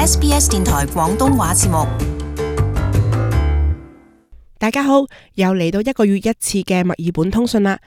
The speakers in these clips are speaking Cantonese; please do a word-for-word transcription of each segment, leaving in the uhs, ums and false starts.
S B S 電台廣東話節目。大家好，又嚟到一個月一次嘅墨爾本通訊啦。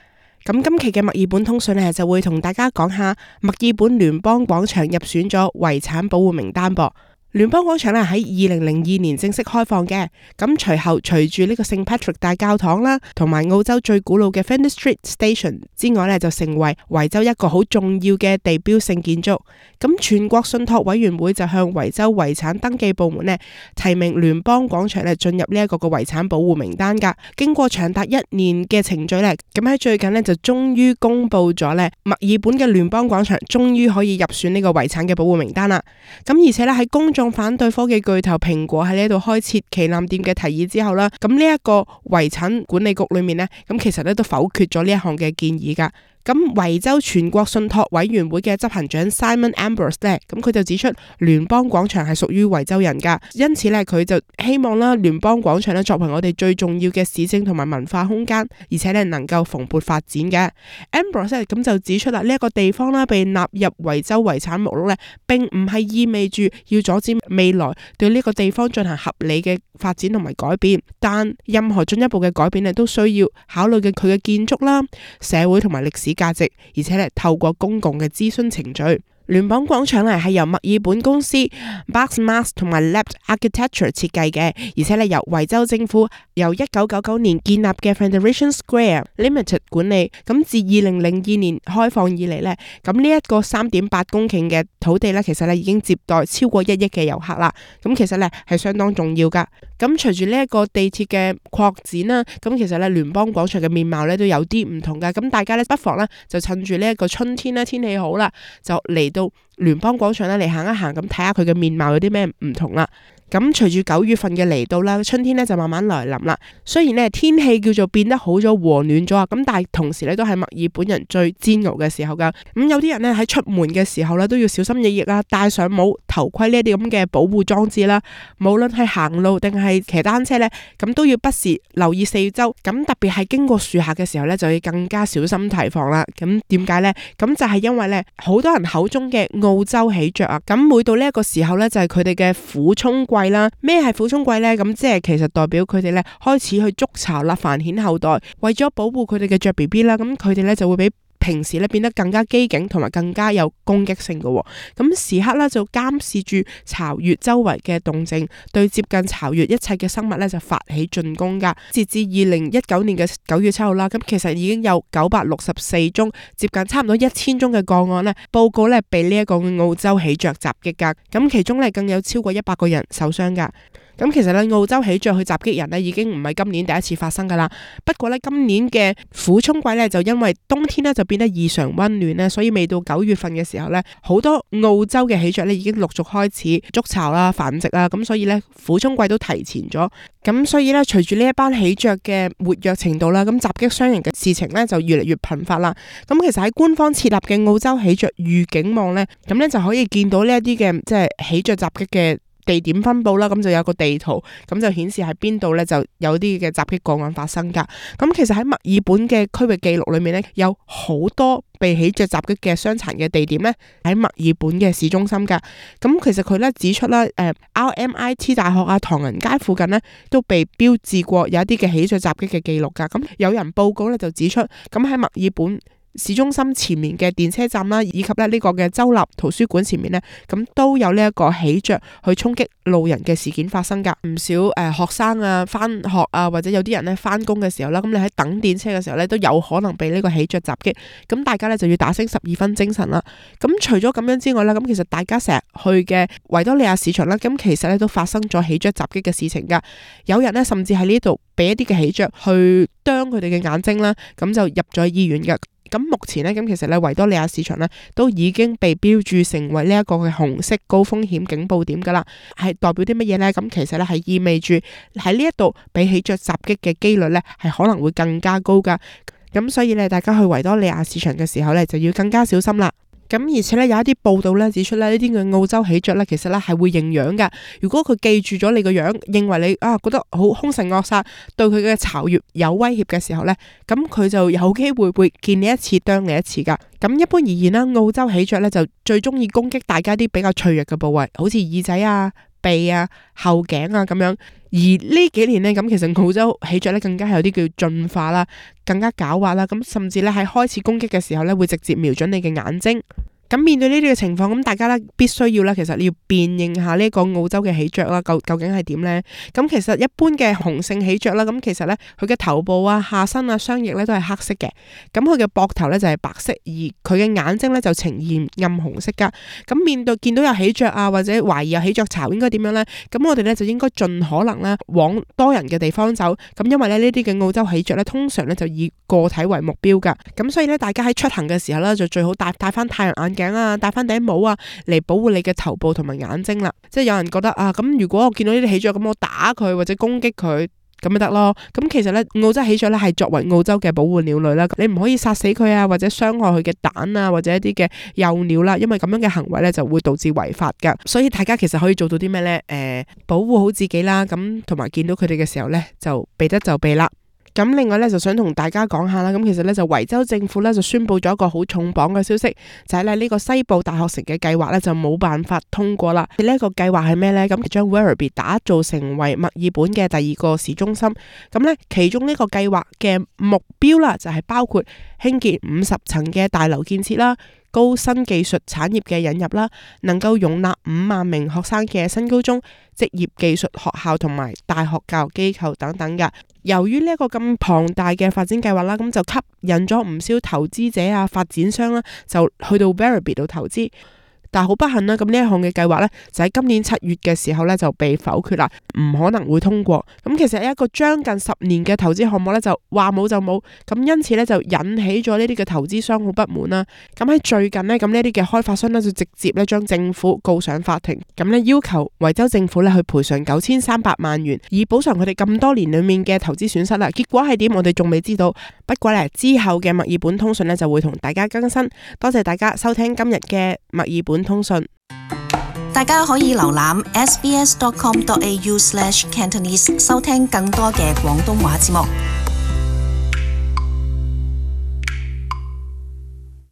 咁今期嘅墨爾本通訊呢，就會同大家講下墨爾本聯邦廣場入選咗遺產保護名單噃。聯邦廣場咧喺二零零二年正式開放嘅，咁隨後隨住呢個聖 Patrick 大教堂啦，同埋澳洲最古老嘅 Flinders Street Station 之外咧，就成為維州一個好重要嘅地標性建築。咁全國信託委員會就向維州遺產登記部門咧提名聯邦廣場咧進入呢一個嘅遺產保護名單噶。經過長達一年嘅程序咧，咁喺最近咧就終於公布咗咧墨爾本嘅聯邦廣場終於可以入選呢個遺產嘅保護名單啦。咁而且咧喺公眾反對科技巨頭蘋果喺呢度開設旗艦店嘅提議之後啦，咁呢一個遺產管理局裏面呢，咁其實咧都否決咗呢一項嘅建議噶。咁維州全國信託委員會嘅執行長 Simon Ambrose 咧，咁佢就指出聯邦廣場係屬於維州人噶，因此咧佢就希望啦聯邦廣場咧作為我哋最重要嘅市政同埋文化空間，而且咧能夠蓬勃發展嘅。Ambrose 咁就指出啦，呢一個地方啦被納入維州遺產目錄咧，並唔係意味住要阻止未來對呢個地方進行合理嘅發展同埋改變，但任何進一步嘅改變咧都需要考慮嘅佢嘅建築啦、社會同埋歷史價值，而且咧透過公共嘅諮詢程序。聯邦廣場咧係由墨爾本公司 Barks Mast 同埋 Lab Architecture 設計嘅，而且咧由維州政府由一九九九年建立嘅 Federation Square Limited 管理。咁自二零零二年開放以嚟咧，咁呢一個三點八公頃嘅土地咧，其實咧已經接待超過一億嘅遊客啦。咁其實咧係相當重要噶。咁隨住呢一個地鐵嘅擴展啦，咁其實咧聯邦廣場嘅面貌咧都有啲唔同噶。咁大家咧不妨咧就趁住呢一個春天啦，天氣好啦，就嚟到聯邦廣場咧嚟行一行，咁睇下佢嘅面貌有啲咩唔同啦。咁隨住九月份嘅嚟到啦，春天咧就慢慢來臨啦。雖然咧天氣叫做變得好咗和暖咗啊，咁但係同時咧都係墨爾本人最煎熬嘅時候噶。咁有啲人咧喺出門嘅時候咧都要小心翼翼啦，戴上帽、頭盔呢啲咁嘅保護裝置啦。無論係行路定係騎單車咧，咁都要不時留意四周。咁特別係經過樹下嘅時候咧，就要更加小心提防啦。咁點解咧？咁就係因為咧好多人口中嘅澳洲喜鵲啊，咁每到呢一個時候咧就係佢哋嘅苦沖季啦。咩係苦沖季呢？咁即係其實代表佢哋咧開始去築巢啦，繁衍後代。為咗保護佢哋嘅雀 B B 啦，咁佢哋咧就會比平時咧變得更加機警，同埋更加有攻擊性嘅。咁時刻咧就監視住巢穴周圍嘅動靜，對接近巢穴一切嘅生物咧就發起進攻噶。截至二零一九年嘅九月七號啦，咁其實已經有九百六十四宗，接近差唔多一千宗嘅個案咧報告咧被呢一個澳洲喜鵲襲擊噶。咁其中咧更有超過一百個人受傷噶。咁其實咧澳洲喜鵲去襲擊人咧已經唔係今年第一次發生噶啦。不過咧今年嘅苦沖季咧就因為冬天咧就變得異常溫暖咧，所以未到九月份嘅時候咧，好多澳洲嘅喜鵲咧已經陸續開始築巢啦、繁殖啦，咁所以咧苦沖季都提前咗。咁所以咧隨住呢一班喜鵲嘅活躍程度啦，咁襲擊傷人嘅事情咧就越嚟越頻發啦。咁其實喺官方設立嘅澳洲喜鵲預警網咧，咁咧就可以見到呢一啲嘅即係喜鵲襲擊嘅地點分佈啦，咁就有個地圖，咁就顯示喺邊度咧就有啲嘅襲擊個案發生噶。咁其實喺墨爾本嘅區域記錄裏面咧，有好多被喜鵲襲擊嘅傷殘嘅地點咧喺墨爾本嘅市中心噶。咁其實佢咧指出啦，誒 R M I T 大學啊、唐人街附近咧都被標誌過有一啲嘅喜鵲襲擊嘅記錄噶。咁有人報告咧就指出，咁喺墨爾本市中心前面嘅電車站啦，以及咧呢個嘅州立圖書館前面呢，咁都有呢一個喜鵲去衝擊路人嘅事件發生噶。唔少誒、呃、學生啊翻學啊，或者有啲人咧翻工嘅時候啦，咁你喺等電車嘅時候咧都有可能被呢個喜鵲襲擊。咁大家咧就要打醒十二分精神啦。咁除咗咁樣之外啦，咁其實大家成日去嘅維多利亞市場啦，咁其實咧都發生咗喜鵲襲擊嘅事情噶。有人呢，甚至喺呢度俾一啲嘅喜鵲去啄佢哋嘅眼睛啦，咁就入咗醫院噶。咁目前呢，咁其實咧維多利亞市場呢都已經被標注成為呢一個嘅紅色高風險警報點噶啦，係代表啲乜嘢呢？咁其實咧係意味住喺呢一度俾喜鵲襲擊嘅機率呢係可能會更加高噶。咁所以咧，大家去維多利亞市場嘅時候咧就要更加小心啦。咁而且咧有一啲報道咧指出咧呢啲嘅澳洲喜鵲咧其實咧係會認樣㗎。如果佢記住咗你個樣，認為你啊覺得好兇神惡煞，對佢嘅巢穴有威脅嘅時候咧，咁佢就有機會會見你一次啄你一次㗎。咁一般而言啦，澳洲喜鵲咧就最中意攻擊大家啲比較脆弱嘅部位，好似耳仔啊、鼻啊、後頸啊咁樣。而呢幾年呢，咁其實澳洲喜鵲咧更加係有啲叫進化啦，更加狡猾啦，咁甚至咧喺開始攻擊嘅時候咧會直接瞄準你嘅眼睛。咁面對呢啲嘅情況，咁大家咧必須要咧，其實你要辨認下呢個澳洲嘅喜鵲啦，究究竟係點呢？咁其實一般嘅雄性喜鵲啦，咁其實咧佢嘅頭部啊、下身啊、雙翼咧都係黑色嘅，咁佢嘅膊頭咧就係白色，而佢嘅眼睛咧就呈現暗紅色噶。咁面對見到有喜鵲啊，或者懷疑有喜鵲巢，應該點樣呢？咁我哋咧就應該盡可能咧往多人嘅地方走。咁因為咧呢啲嘅澳洲喜鵲咧，通常咧就以個體為目標噶。咁所以咧，大家喺出行嘅時候咧，就最好戴戴翻太陽眼鏡啊，戴翻頂帽啊，嚟保護你嘅頭部同埋眼睛啦。即係有人覺得啊，咁如果我見到呢啲喜鵲，咁我打佢或者攻擊佢咁咪得咯。咁其實咧，澳洲喜鵲咧係作為澳洲嘅保護鳥類啦，你唔可以殺死佢啊，或者傷害佢嘅蛋啊，或者一啲嘅幼鳥啦，因為咁樣嘅行為咧就會導致違法噶。所以大家其實可以做到啲咩咧？誒、呃，保護好自己啦，咁同埋見到佢哋嘅時候咧，就避得就避啦。咁另外咧就想同大家講下啦，咁其實咧就維州政府咧就宣布咗一個好重磅嘅消息，就係咧呢個西部大學城嘅計劃咧就冇辦法通過啦。呢一個計劃係咩咧？咁將 Werribee 打造成為墨爾本嘅第二個市中心。咁咧其中呢個計劃嘅目標啦，就係包括興建五十層嘅大樓建設啦，高新技術產業嘅引入啦，能夠容納五萬名學生嘅新高中、職業技術學校同埋大學教育機構等等噶。由於呢一個咁龐大嘅發展計劃啦，咁就吸引咗唔少投資者啊、發展商啦，就去到 Werribee 度投資。但係好不幸啦，咁呢一項嘅計劃呢，就喺今年七月嘅時候呢，就被否決啦，唔可能會通過。咁其實一個將近十年嘅投資項目呢，就話冇就冇，咁因此呢，就引起咗呢啲嘅投資商好不滿啦。咁喺最近呢，咁呢啲嘅開發商呢，就直接呢將政府告上法庭，咁呢要求維州政府呢去賠償九千三百萬元，以補償佢哋咁多年裏面嘅投資損失啦。結果係點，我哋仲未知道。不過呢，之後嘅墨爾本通訊呢，就會同大家更新。多謝大家收聽今日嘅墨爾本通訊。大家可以瀏覽 s b s dot com dot a u slash cantonese 收聽更多嘅廣東話節目。